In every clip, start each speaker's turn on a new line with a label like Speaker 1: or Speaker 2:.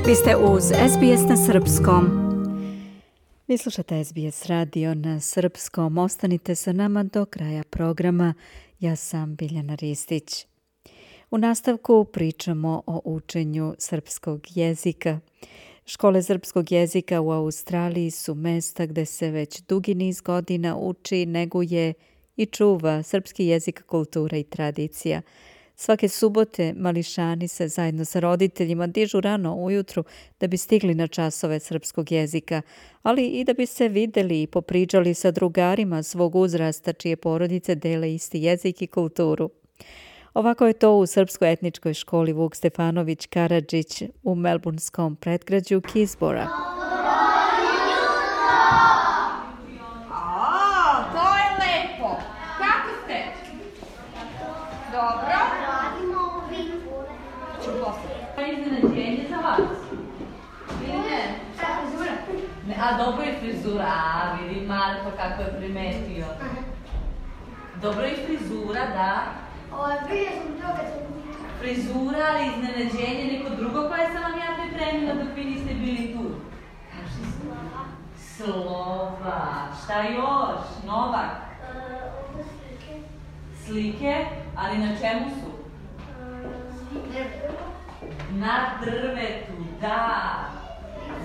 Speaker 1: Vi ste uz SBS na srpskom. Vi slušate SBS radio na srpskom. Ostanite sa nama do kraja programa. Ja sam Biljana Ristić. U nastavku pričamo o učenju srpskog jezika. Škole srpskog jezika u Australiji su mesta gde se već dugi niz godina uči, neguje i čuva srpski jezik, kultura i tradicija. Svake subote mališani se zajedno sa roditeljima dižu rano ujutru da bi stigli na časove srpskog jezika, ali i da bi se videli i popričali sa drugarima svog uzrasta čije porodice dele isti jezik i kulturu. Ovako je to u srpskoj etničkoj školi Vuk Stefanović Karadžić u melburnskom predgrađu Keysborough.
Speaker 2: To je lepo. Kako ste? Dobro. Iznenađenje za vas. Ili ne? Šta je frizura? A dobro je frizura. A vidi Marko kako je primetio. Dobro je frizura, da. Frizura, ali iznenađenje neko drugo koje sam vam ja pripremila dok vi niste bili tu. Kaži slova. Šta još? Novak? Slike? Ali na čemu su? Na drvetu, da.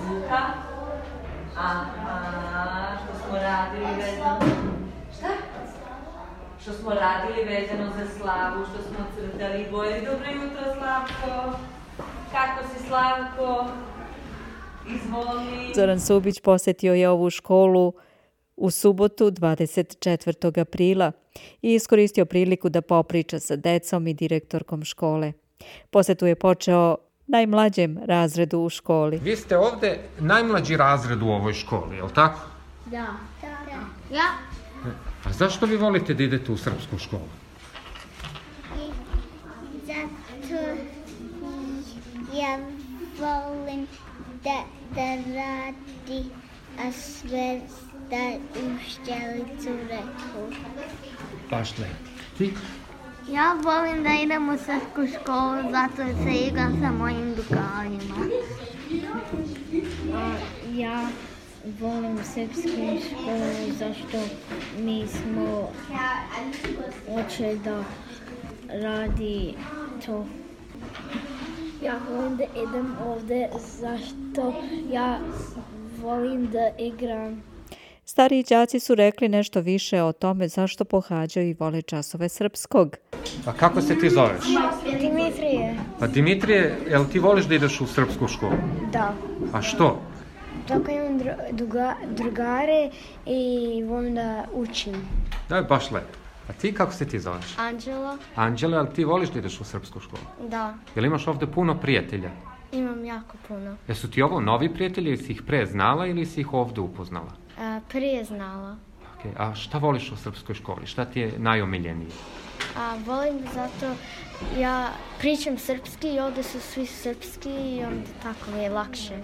Speaker 2: Luka? Aha, što smo radili vezano... Šta? Što smo radili vezano za slavu, što smo crtali boje. Dobro jutro, Slavko. Kako si, Slavko? Izvoli.
Speaker 1: Zoran Subić posetio je ovu školu u subotu 24. aprila i iskoristio priliku da popriča sa decom i direktorkom škole. Posetu je počeo najmlađem razredu u školi.
Speaker 3: Vi ste ovde najmlađi razred u ovoj školi, je li tako?
Speaker 4: Da. Ja.
Speaker 3: A zašto vi volite da idete u srpsku školu?
Speaker 4: Zato ja volim da radi, a sve da učiteljicu reku.
Speaker 3: Baš lepo. Ti?
Speaker 5: Ja volim da idem u srpsku školu zato se igram sa mojim drugarima.
Speaker 6: Ja volim srpsku školu zašto mi smo hoće da radi to. Ja volim da idem ovde zašto ja volim da igram.
Speaker 1: Stariji đaci su rekli nešto više o tome zašto pohađaju i vole časove srpskog.
Speaker 3: A kako se ti zoveš?
Speaker 6: Dimitrije.
Speaker 3: Pa Dimitrije, jel ti voliš da ideš u srpsku školu?
Speaker 6: Da.
Speaker 3: A što?
Speaker 6: Tako imam drugare i volim da učim.
Speaker 3: Da je baš lepo. A ti kako se ti zoveš?
Speaker 6: Anđela?
Speaker 3: Anđela, ali ti voliš da ideš u srpsku školu?
Speaker 6: Da.
Speaker 3: Jel imaš ovde puno prijatelja?
Speaker 6: Imam jako puno.
Speaker 3: Jesu ti ovo novi prijatelji ili si ih pre znala ili si ih ovde upoznala?
Speaker 6: Prije znala.
Speaker 3: Okay. A šta voliš u srpskoj školi? Šta ti je najomiljenije?
Speaker 6: Volim zato ja pričam srpski i ovde su svi srpski i onda tako mi je lakše.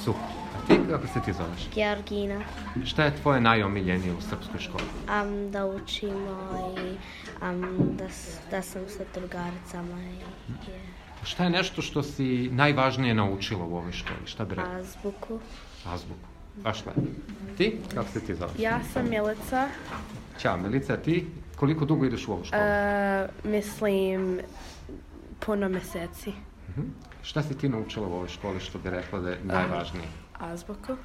Speaker 3: Super. A ti kako se ti zoveš?
Speaker 6: Georgina.
Speaker 3: Šta je tvoje najomiljenije u srpskoj školi?
Speaker 6: Da učimo i da sam sa drugaricama.
Speaker 3: Šta je nešto što si najvažnije naučila u ovoj školi? Šta bi rekao?
Speaker 6: Azbuku.
Speaker 3: Azbuku. Baš lepo. Ti? Kako se ti zoveš?
Speaker 7: Ja sam Milica.
Speaker 3: Ćao, Milica. Ti koliko dugo ideš u ovu školu?
Speaker 7: Mislim, puno meseci.
Speaker 3: Šta si ti naučila u ovoj školi što bi rekla da je najvažnije?
Speaker 7: Azbuku.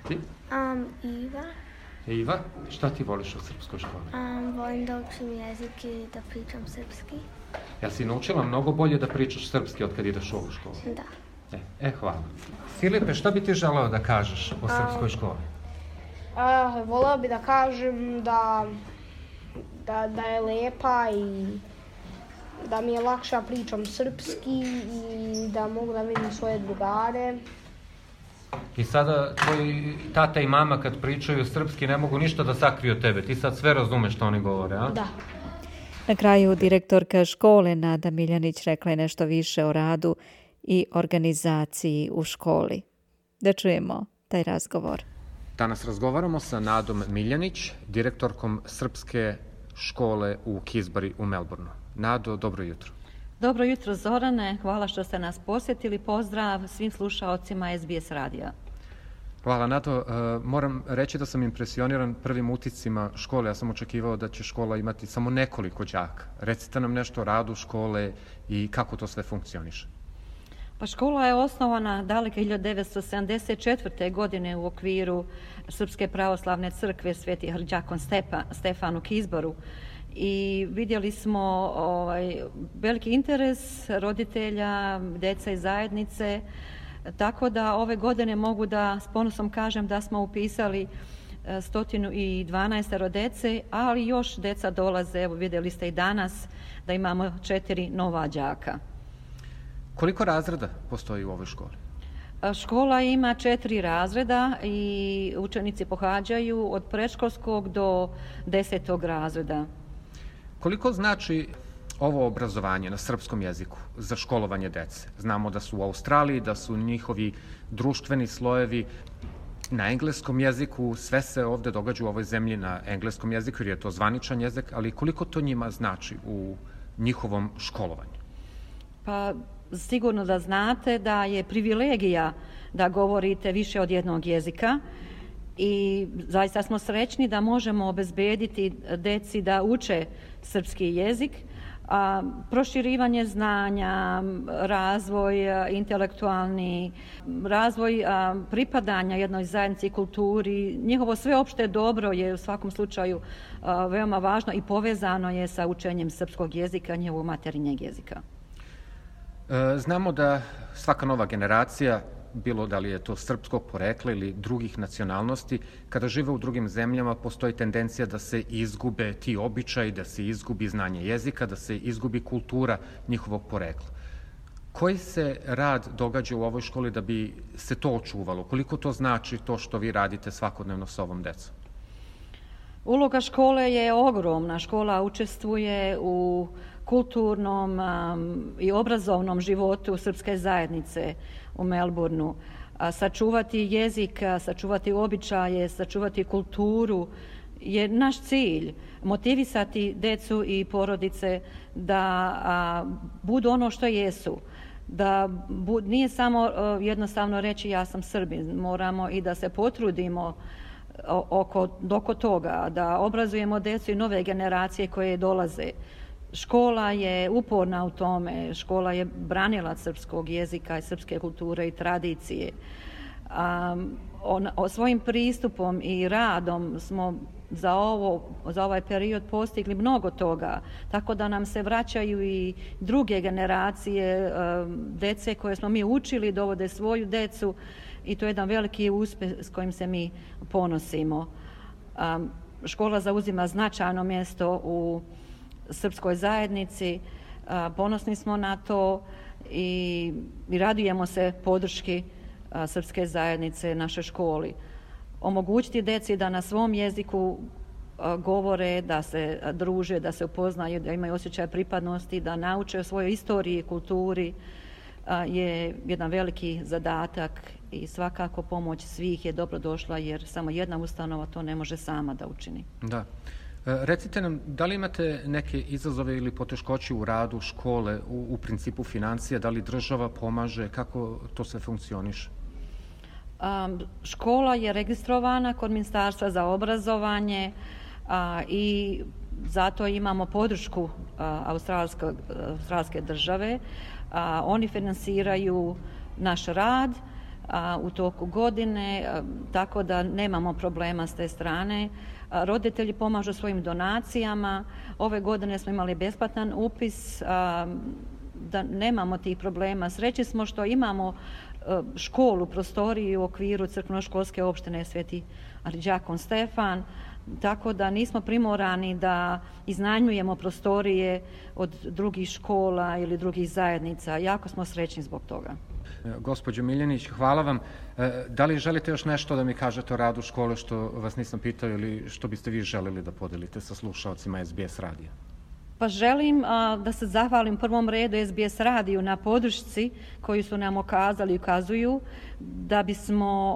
Speaker 3: Ti?
Speaker 6: Iva.
Speaker 3: Iva, šta ti voliš u srpskoj školi?
Speaker 6: Volim da učim jezik i da pričam srpski.
Speaker 3: Jel si naučila mnogo bolje da pričaš srpski od kad ideš u ovu školu?
Speaker 6: Da.
Speaker 3: Hvala. Filipe, šta bi ti želeo da kažeš o srpskoj školi?
Speaker 8: Voleo bi da kažem da je lepa i da mi je lakše da pričam srpski i da mogu da vidim svoje drugare.
Speaker 3: I sada tvoji tata i mama kad pričaju srpski ne mogu ništa da sakriju od tebe. Ti sad sve razumeš što oni govore, a?
Speaker 8: Da.
Speaker 1: Na kraju direktorka škole Nada Miljanić rekla je nešto više o radu i organizaciji u školi. Da čujemo taj razgovor.
Speaker 3: Danas razgovaramo sa Nadom Miljanić, direktorkom srpske škole u Keysborough u Melbourneu. Nado, dobro jutro.
Speaker 9: Dobro jutro Zorane, hvala što ste nas posjetili. Pozdrav svim slušaocima SBS radija.
Speaker 3: Hvala Nato. Moram reći da sam impresioniran prvim utiscima škole. Ja sam očekivao da će škola imati samo nekoliko đaka. Recite nam nešto o radu škole i kako to sve funkcioniše.
Speaker 9: Pa škola je osnovana daleke 1974. godine u okviru Srpske pravoslavne crkve Sveti Arđakon Stefan u Kizboru. I vidjeli smo veliki interes roditelja, djeca i zajednice, tako da ove godine mogu da s ponosom kažem da smo upisali 112 djece, ali još djeca dolaze, evo vidjeli ste i danas da imamo 4 nova đaka.
Speaker 3: Koliko razreda postoji u ovoj školi?
Speaker 9: Škola ima 4 razreda i učenici pohađaju od predškolskog do 10. razreda.
Speaker 3: Koliko znači ovo obrazovanje na srpskom jeziku za školovanje dece? Znamo da su u Australiji, da su njihovi društveni slojevi na engleskom jeziku, sve se ovde događa u ovoj zemlji na engleskom jeziku jer je to zvaničan jezik, ali koliko to njima znači u njihovom školovanju?
Speaker 9: Pa sigurno da znate da je privilegija da govorite više od jednog jezika i zaista smo srećni da možemo obezbediti deci da uče srpski jezik, a proširivanje znanja, razvoj intelektualni, razvoj pripadanja jednoj zajednici i kulturi, njihovo sveopšte dobro je u svakom slučaju veoma važno i povezano je sa učenjem srpskog jezika, njihovog materinjeg jezika.
Speaker 3: Znamo da svaka nova generacija, bilo da li je to srpskog porekla ili drugih nacionalnosti, kada žive u drugim zemljama postoji tendencija da se izgube ti običaji, da se izgubi znanje jezika, da se izgubi kultura njihovog porekla. Koji se rad događa u ovoj školi da bi se to očuvalo? Koliko to znači to što vi radite svakodnevno sa ovom decom?
Speaker 9: Uloga škole je ogromna. Škola učestvuje u kulturnom i obrazovnom životu srpske zajednice u Melbourneu. Sačuvati jezik, sačuvati običaje, sačuvati kulturu je naš cilj. Motivisati decu i porodice da budu ono što jesu. Da nije samo jednostavno reći ja sam Srbin, moramo i da se potrudimo oko toga, da obrazujemo decu i nove generacije koje dolaze. Škola je uporna u tome, škola je branilac srpskog jezika i srpske kulture i tradicije. Svojim pristupom i radom smo za ovaj period postigli mnogo toga, tako da nam se vraćaju i druge generacije dece koje smo mi učili, dovode svoju decu i to je jedan veliki uspjeh s kojim se mi ponosimo. Škola zauzima značajno mjesto u srpskoj zajednici, ponosni smo na to i radujemo se podrški srpske zajednice našoj školi. Omogućiti deci da na svom jeziku govore, da se druže, da se upoznaju, da imaju osjećaj pripadnosti, da nauče o svojoj istoriji i kulturi je jedan veliki zadatak i svakako pomoć svih je dobrodošla jer samo jedna ustanova to ne može sama da učini.
Speaker 3: Da. Recite nam, da li imate neke izazove ili poteškoće u radu škole, u principu financija, da li država pomaže, kako to sve funkcioniše?
Speaker 9: Škola je registrovana kod Ministarstva za obrazovanje i zato imamo podršku australske države. Oni finansiraju naš rad u toku godine, tako da nemamo problema s te strane. Roditelji pomažu svojim donacijama. Ove godine smo imali besplatan upis, da nemamo tih problema. Srećni smo što imamo školu, prostoriju u okviru crkveno-školske opštine Sveti Arđakon Stefan, tako da nismo primorani da iznajmljujemo prostorije od drugih škola ili drugih zajednica. Jako smo srećni zbog toga.
Speaker 3: Gospođo Miljanić, hvala vam. Da li želite još nešto da mi kažete o radu škole što vas nisam pitao ili što biste vi želeli da podelite sa slušalcima SBS radija?
Speaker 9: Pa želim da se zahvalim prvom redu SBS radiju na podršci koju su nam okazali i ukazuju da bismo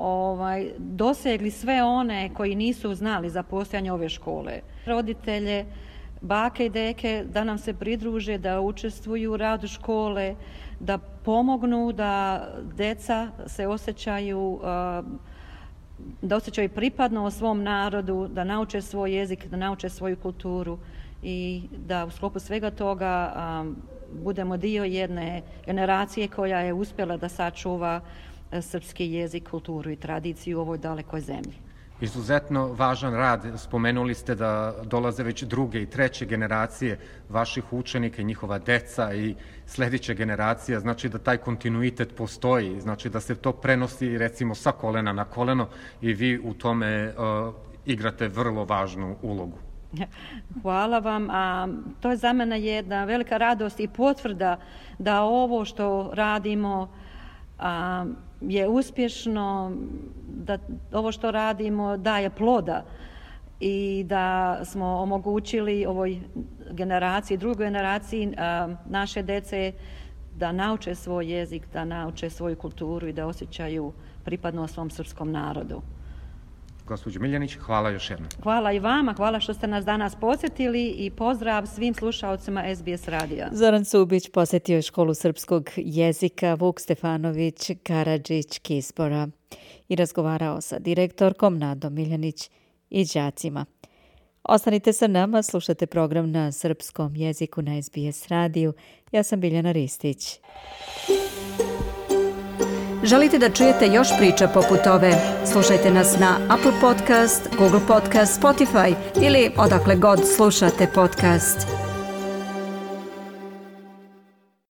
Speaker 9: dosegli sve one koji nisu znali za postojanje ove škole. Roditelje bake i deke da nam se pridruže, da učestvuju u radu škole, da pomognu da deca se osjećaju pripadno o svom narodu, da nauče svoj jezik, da nauče svoju kulturu i da u sklopu svega toga budemo dio jedne generacije koja je uspjela da sačuva srpski jezik, kulturu i tradiciju u ovoj dalekoj zemlji.
Speaker 3: Izuzetno važan rad. Spomenuli ste da dolaze već druge i treće generacije vaših učenika i njihova deca i sljedeća generacija. Znači da taj kontinuitet postoji, znači da se to prenosi recimo sa kolena na koleno i vi u tome igrate vrlo važnu ulogu.
Speaker 9: Hvala vam. To je za mene jedna velika radost i potvrda da ovo što radimo je uspješno, da ovo što radimo daje ploda i da smo omogućili ovoj generaciji, drugoj generaciji naše dece da nauče svoj jezik, da nauče svoju kulturu i da osjećaju pripadnost svom srpskom narodu.
Speaker 3: Gospođo Miljanić, hvala još jednom.
Speaker 9: Hvala i vama, hvala što ste nas danas posjetili i pozdrav svim slušaocima SBS radija.
Speaker 1: Zoran Subić posjetio je školu srpskog jezika Vuk Stefanović Karadžić Kispora i razgovarao sa direktorkom Nadom Miljanić i đacima. Ostanite sa nama, slušate program na srpskom jeziku na SBS radiju. Ja sam Biljana Ristić. Želite da čujete još priča poput ove? Slušajte nas na Apple Podcast, Google Podcast, Spotify ili odakle god slušate podcast.